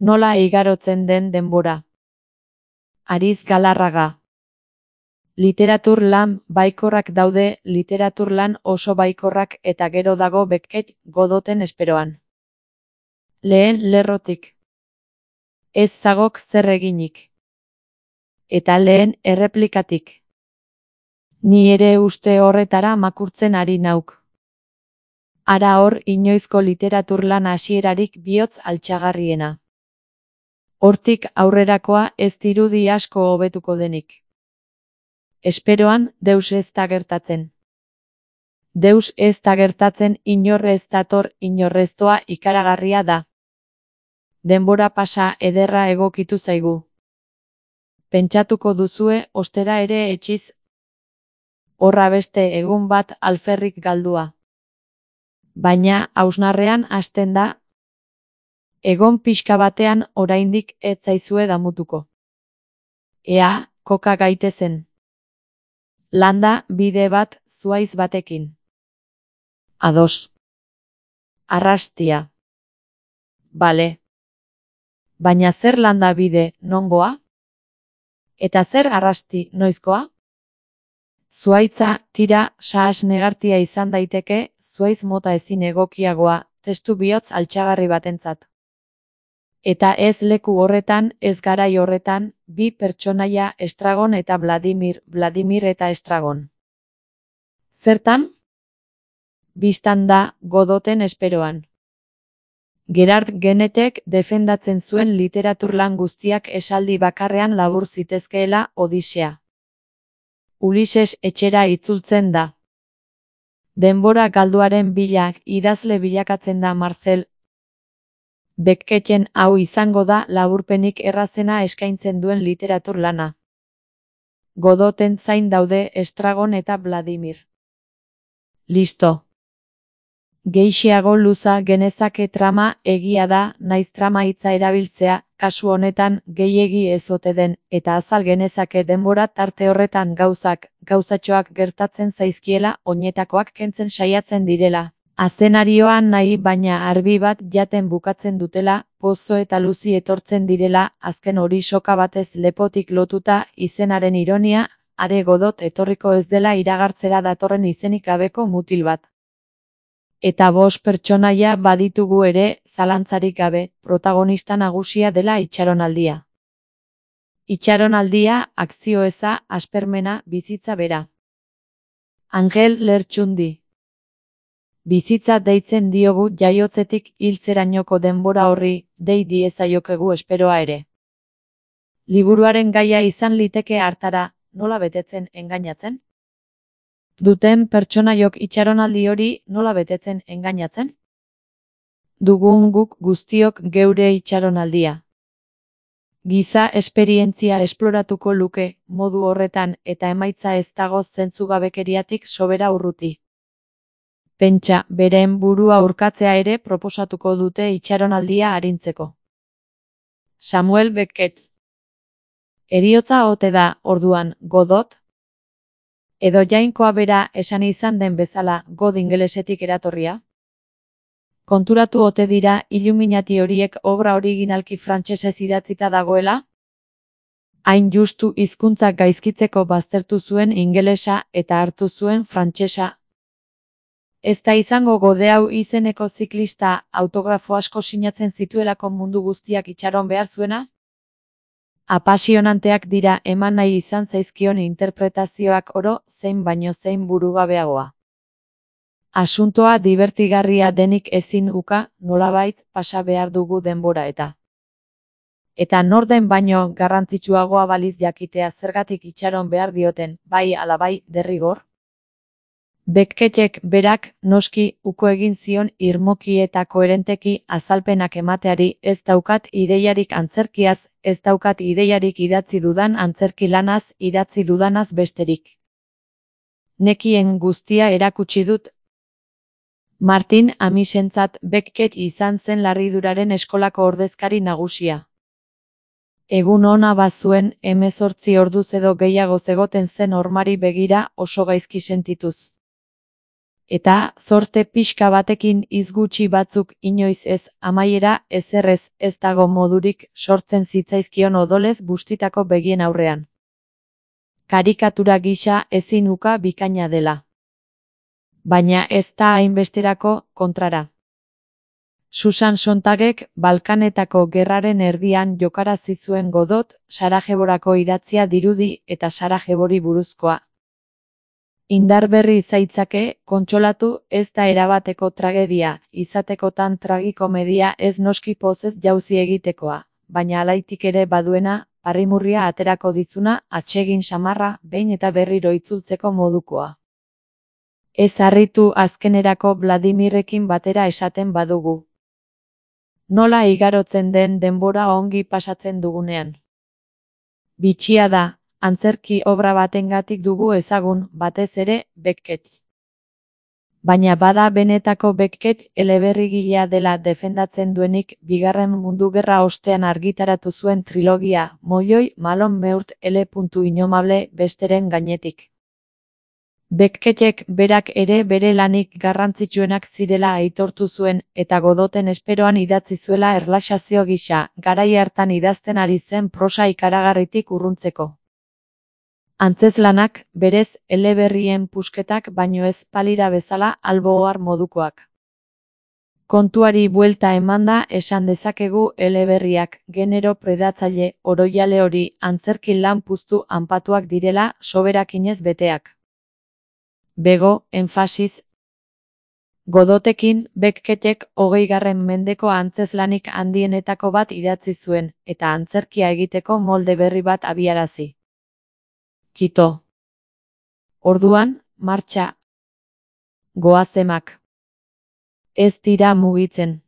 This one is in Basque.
Nola igarotzen den denbora. Ariz Galarraga. Literatur lan baikorrak daude, literatur lan oso baikorrak eta gero dago Beckett Godoten esperoan. Lehen lerrotik. Ez zagok zer eginik. Eta lehen erreplikatik. Ni ere uste horretara makurtzen ari nauk. Ara hor inoizko literatur lan hasierarik bihotz altxagarriena. Hortik aurrerakoa ez dirudi asko hobetuko denik. Esperoan, deus ez da gertatzen. Deus ez da gertatzen, inor ez dator, inorreztoa ikaragarria da. Denbora pasa ederra egokitu zaigu. Pentsatuko duzue, ostera ere etxiz. Horra beste egun bat alferrik galdua. Baina, hausnarrean hasten da, egon pixka batean oraindik ez zaizue damutuko. Ea, koka gaitezen. Landa bide bat zuaiz batekin. Ados. Arrastia. Bale. Baina zer landa bide nongoa? Eta zer arrasti noizkoa? Zuaitza, tira, sahas negartia izan daiteke, zuaiz mota ezin egokiagoa, testu bihotz altxagarri batentzat. Eta ez leku horretan, ez garai horretan, bi pertsonaia Estragon eta Vladimir, Vladimir eta Estragon. Zertan? Bistan da, Godoten esperoan. Gerard Genetek defendatzen zuen literaturlan guztiak esaldi bakarrean labur zitezkeela Odisea. Ulises etxera itzultzen da. Denbora galduaren bila idazle bilakatzen da Marcel. Becketten hau izango da laburpenik errazena eskaintzen duen literatur lana. Godoten zain daude Estragon eta Vladimir. Listo. Gehixeago luza genezake trama egia da, naiz trama hitza erabiltzea, kasu honetan gehiegi ez ote den, eta azal genezake denbora tarte horretan gauzatxoak gertatzen zaizkiela, oinetakoak kentzen saiatzen direla. Azenarioan nahi baina arbi bat jaten bukatzen dutela, pozo eta luzi etortzen direla, azken hori soka batez lepotik lotuta, izenaren ironia, are Godot etorriko ez dela iragartzera datorren izenik gabeko mutil bat. Eta 5 pertsonaia baditugu ere, zalantzarik gabe, protagonista nagusia dela itxaronaldia. Itxaronaldia, akzio eza, aspermena, bizitza bera. Angel Lertxundi. Bizitza deitzen diogu jaiotzetik hiltzerainoko denbora horri, dei diezaiokegu esperoa ere. Liburuaren gaia izan liteke hartara, nola betetzen engainatzen? Duten pertsonaiok itxaronaldi hori nola betetzen engainatzen? Dugun guk guztiok geure itxaronaldia. Giza esperientzia esploratuko luke, modu horretan eta emaitza ez dago zentzugabekeriatik sobera urruti. Pentsa, beren burua urkatzea ere proposatuko dute itxaronaldia arintzeko. Samuel Beckett. Heriotza ote da, orduan, Godot? Edo jainkoa bera esan izan den bezala, God ingelesetik eratorria? Konturatu ote dira Illuminati horiek obra originalki frantsesez idatzita dagoela? Hain justu hizkuntzak gaizkitzeko baztertu zuen ingelesa eta hartu zuen frantsesa. Ez da izango Gode hau izeneko ziklista autografo asko sinatzen zituelako mundu guztiak itxaron behar zuena? Apasionanteak dira eman nahi izan zaizkion interpretazioak oro, zein baino zein burugabeagoa. Asuntoa dibertigarria denik ezin uka, nolabait pasa behar dugu denbora eta. Eta norden baino garrantzitsuagoa baliz jakitea zergatik itxaron behar dioten, bai ala bai, derrigor? Beckettek berak, noski, uko egin zion irmoki eta koherenteki azalpenak emateari, ez daukat ideiarik antzerkiaz, ez daukat ideiarik idatzi dudan antzerki lanaz, idatzi dudanaz besterik. Nekien guztia erakutsi dut. Martin Amisentzat Beckett izan zen larriduraren eskolako ordezkari nagusia. Egun ona bazuen, 18 orduz edo gehiago zegoten zen hormari begira oso gaizki sentituz. Eta zorte pixka batekin hitz gutxi batzuk inoiz ez amaiera ezerrez ez dago modurik sortzen zitzaizkion odolez bustitako begien aurrean. Karikatura gisa ezin uka bikaina dela. Baina ez da hainbesterako kontrara. Susan Sontagek Balkanetako gerraren erdian jokarazi zuen Godot, Sarajevorako idatzia dirudi eta Sarajevori buruzkoa. Indarberri zaitzake, kontsolatu, ez da erabateko tragedia, izatekotan tragikomedia ez noski pozez jauzi egitekoa, baina alaitik ere baduena, parrimurria aterako dizuna, atsegin samarra, behin eta berriro itzultzeko modukoa. Ez harritu azkenerako Vladimirrekin batera esaten badugu. Nola igarotzen den denbora ongi pasatzen dugunean. Bitxia da, antzerki obra batengatik dugu ezagun, batez ere, Beckett. Baina bada benetako Beckett eleberrigilea dela defendatzen duenik, Bigarren Mundu Gerra ostean argitaratu zuen trilogia, Molloi, Malon Meurt, L. Innomable, besteren gainetik. Beckettek berak ere bere lanik garrantzitsuenak zirela aitortu zuen, eta Godoten esperoan idatzi zuela erlaxazio gisa, garai hartan idazten ari zen prosa ikaragarritik urruntzeko. Antzeslanak, berez, eleberrien pusketak baino ez palira bezala albo ohar modukoak. Kontuari buelta emanda esan dezakegu eleberriak, genero predatzaile, oroiale hori, antzerki lan puztu anpatuak direla, soberakinez beteak. Bego, enfasiz. Godotekin, Beckettek 20. mendeko antzeslanik handienetako bat idatzi zuen, eta antzerkia egiteko molde berri bat abiarazi. Kito. Orduan, martxa. Goazemak. Ez dira mugitzen.